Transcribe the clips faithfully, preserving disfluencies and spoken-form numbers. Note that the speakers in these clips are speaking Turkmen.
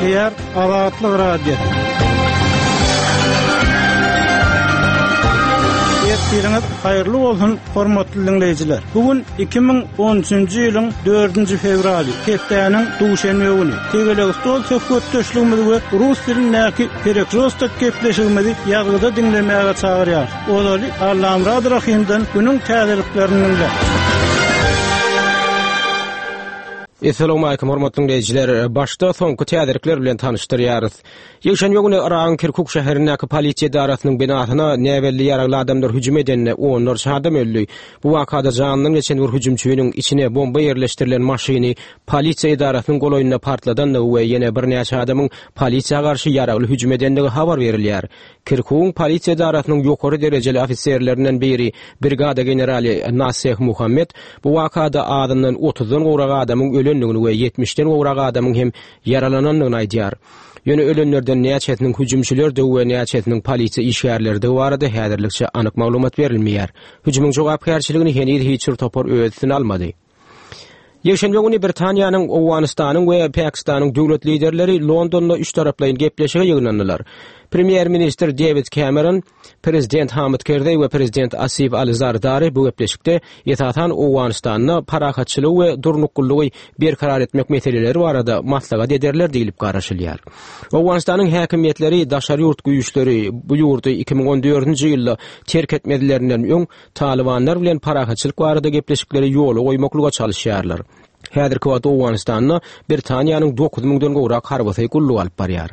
Gepleýär Azatlyk Radiosy. Ertiriňiz haýyrly bolsun, hormatly dinleýjiler. Bu gün iki müň on üçünji ýylyň dördünji fewraly, hepdäniň duşenbe güni. Tegelek stol söhbetdeşligimiz we rus dilindäki Perekrostok gepleşigimizi ýazgyda diňlemäge çagyrýar. Ozaly Allamurad Rahimden günüň täzeliklerini dinle. Esselamu aleýkum hormatly dinleýjiler. Başda soňky täzelikler bilen tanyşdyrýarys. Ýekşenbe güni Yragyň Kirkuk şäherindäki polisiýa edarasynyň binasyna näbelli ýaragly adamlar hüjüm edende onlarça adam öldi. Bu wakada janyndan geçen bir hüjümçiniň içine bomba ýerleşdirilen maşyny polisiýa edarasynyň golaýynda partladandygy we ýene birnäçe adamyň polisiýa garşy ýaragly hüjüm edendigi habar berilýär. Kirkugyň polisiýa edarasynyň ýokary derejeli ofiserlerinden biri brigada generali Naseh Muhammed bu wakada adyndan otuzdan gowrak adamyň ölendigini we ýetmişden gowrak adamyň hem ýaralanandygyny aýdýar. Ýöne ölenlerden näçesiniň hüjümçilerdigi we näçesiniň polisiýa işgärlerdigi barada häzirlikçe anyk maglumat berilmeýär. Hüjümiň jogapkärçiligini heniz hiç bir topar öz üstüne almady. Ýekşenbe güni Britaniýanyň, Owganystanyň we Pakistanyň döwlet liderleri Londonda üç taraplaýyn gepleşige ýygnandylar. Premýer-ministr David Cameron, Prezident Hamid Karzai we Prezident Asif Ali Zardari bu gepleşikde esasan Owganystanda parahatçylygy we durnuklylygy berkarar etmek meseleleri barada maslahat ederler diýilip garaşylýar. Owganystanyň häkimiýetleri daşary ýurt güýçleri bu ýurdy iki müň on dördünji ýylda terk etmezlerinden öň Talibanlar bilen parahatçylyk barada gepleşikleri ýola goýmaklyga çalyşýarlar. Häzirki wagtda Owganystanda Britaniýanyň dokuz müňden gowrak harbysy gulluk alyp barýar.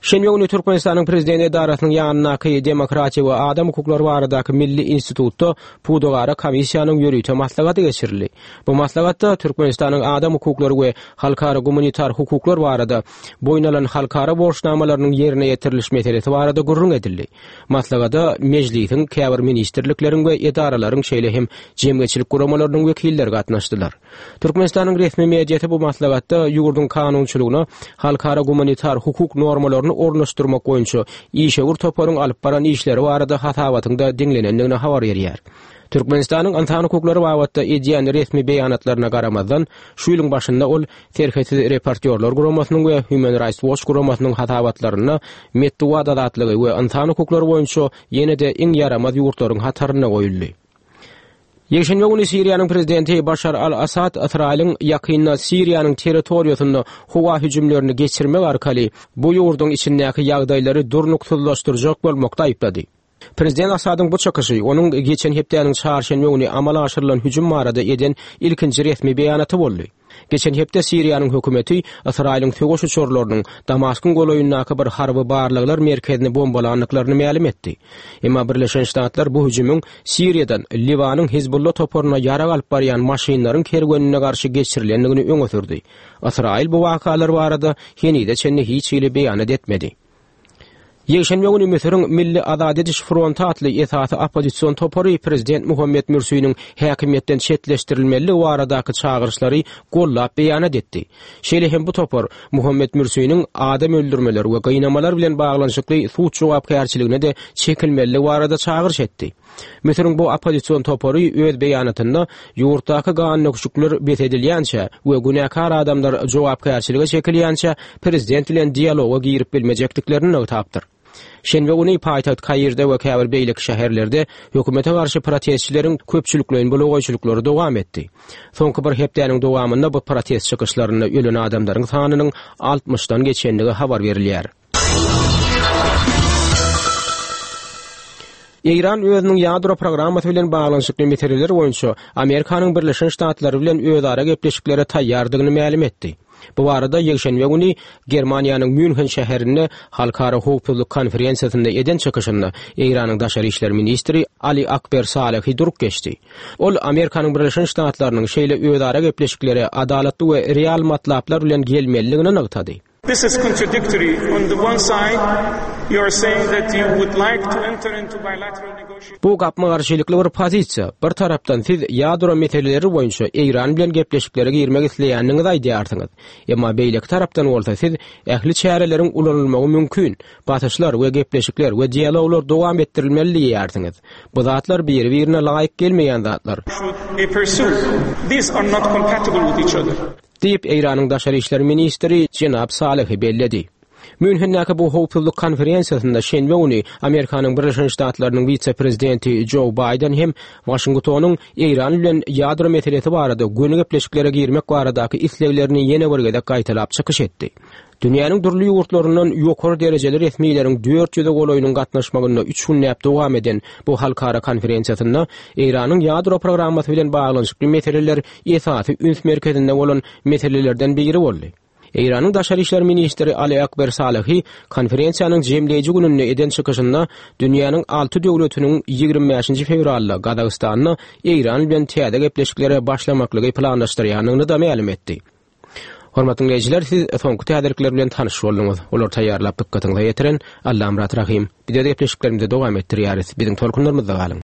Şenbe güni Türkmenistanyň Prezident edarasynyň ýanyndaky Demokratiýa we Adam hukuklary baradaky Milli institutda Pudagara komissiýanyň ýörite maslahaty geçirildi. Bu maslahatda Türkmenistanyň adam hukuklary we halkara gumanitar hukuklar barada boýun alan halkara borçnamalarynyň ýerine ýetiriliş meselesi barada gürrüň edildi. Maslahata mejlisiň, käbir ministrlikleriň we edaralaryň şeýle hem jemgyýetçilik guramalarynyň wekilleri gatnaşdylar. Türkmenistanyň resmi mediasy bu maslahatda ýurduň kanunçylygyna halkara gumanitar hukuk normalaryny ornaşdyrmak boýunça işewür toparyň alyp baran işleri barada hasabatynda diňlenendigini habar berýär. Türkmenistanyň ynsan hukuklary babatda edýän resmi beýanatlaryna garamazdan, şu ýylyň başynda ol Serhetsiz reportýorlar guramasynyň we Human Rights Watch guramasynyň hasabatlarynda metbugat azatlygy we ynsan hukuklary boýunça ýene-de iň ýaramaz ýurtlaryň hatarynda goýuldy. Ýekşenbe güni Siriýanyň prezidenti Başar al-Assad Ysraýylyň ýakynda Siriýanyň territoriýasynda howa hüjümlerini geçirmek arkaly bu ýurduň içindäki ýagdaýlary durnuksyzlaşdyrjak bolmakda aýyplady. Prezident Assadyň bu çykyşy onuň geçen hepdäniň çarşenbe güni amala aşyrylan hüjüm barada eden ilkinji resmi beýanaty boldy. Geçen hepde Siriýanyň hökümeti Ysraýylyň söweş uçarlarynyň Damaskyň golaýyndaky bir harby barlaglar merkezini bombalandyklaryny mälim etdi. Emma Birleşen Ştatlar bu hüjümiň Siriýadan Liwanyň Hizbullah toparyna ýarag alyp barýan maşynlaryň kerwenine garşy geçirilendigini öňe sürdi. Ysraýyl bu wakalar barada henize çenli hiç hili beýanat etmedi. Ýekşenbe güni Müsüriň Milli Azat ediş fronty atly esasy oppozision topary Prezident Muhammed Mürsiniň häkimiýetden çetleşdirilmeligi baradaky çagyryşlary gollap beýanat etdi. Şeýle hem bu topar Muhammed Mürsiniň adam öldürmeler we gynamalar bilen baglanyşykly suç jogapkärçiligine de çekilmeligi barada çagyryş etdi. Müsüriň bu oppozision topary öz beýanatynda ýurtdaky ganöküşikler bes edilýänçä we günäkär adamlar jogapkärçilige çekilýänçä prezident bilen dialoga girip bilmejekdiklerini nygtapdyr. Şenbe güni paýtagt Kairde we käbir beýleki şäherlerde hökümete garşy protestçileriň köpçülikleýin bulagaýçylyklary dowam etdi. Soňky bir hepdäniň dowamynda bu protest çykyşlarynda ölen adamlaryň sanynyň altmyşdan geçendigi habar berilýär. Eýran özüniň ýadro programmasy bilen baglanyşykly meseleler boýunça Amerikanyň Birleşen Ştatlary bilen özara gepleşiklere taýýardygyny mälim etdi. Bu barada ýekşenbe güni Germaniýanyň Münhen şäherinde Halkara howpsuzlyk konferensiýasynda eden çykyşynda Eýranyň daşary işler ministri Ali Akber Salehi durup geçdi. Ol Amerikanyň Birleşen Ştatlarynyň şeýle özara gepleşiklere adalatly we real matlaplar bilen gelmelidigini nygtady. This is contradictory. On the one side, you are saying that you would like to enter into bilateral negotiations. Bu gapma-garşylykly bir pozisiýa. Bir tarapdan siz ýadro meseleleri boýunça Eýran bilen gepleşiklere girmek isleýändigiňizi aýdýarsyňyz. Emma beýleki tarapdan bolsa siz ähli çäreleriň ulanylmagy mümkin. Basyşlar we gepleşikler we dialoglar dowam etdirilmeli diýýärsiňiz. Bu zatlar biri-birine laýyk gelmeýän zatlar. Should be pursued. These are not compatible with each other. Diýip, Eýranyň daşary işler ministri jenap Salehi belledi. Münhendäki bu howpsuzlyk konferensiýasynda şenbe güni Amerikanyň Birleşen Ştatlarynyň wise-prezidenti Jo Baýden hem Waşingtonyň Eýran bilen ýadro meselesi barada göni gepleşiklere girmek baradaky isleglerini ýene bir gezek gaýtalap çykyş etdi. Dünýäniň dürli ýurtlaryndan ýokary derejeli resmileriň dört ýüze golaýynyň gatnaşmagynda üç günläp dowam eden bu halkara konferensiýasynda Eýranyň ýadro programmasy bilen baglanyşykly meseleler esasy üns merkezinde bolan meselelerden biri boldy. Eýranyň daşary işler ministri Ali Akber Salehi konferensiýanyň jemleýji gününde eden çykyşynda dünýäniň alty döwletiniň ýigrimi bäşinji fewralda Gazagystanda Eýran bilen täze gepleşiklere başlamaklygy planlaşdyrýandygyny-da mälim etdi. Hormatly diňleýjiler, siz soňky täzelikler bilen tanyş bolduňyz. Olary taýýarlap dykgatyňyza ýetiren Allamyrat Rahym. Biz öz gepleşiklerimizi dowam etdirýäris. Biziň tolkunlarymyzda galyň.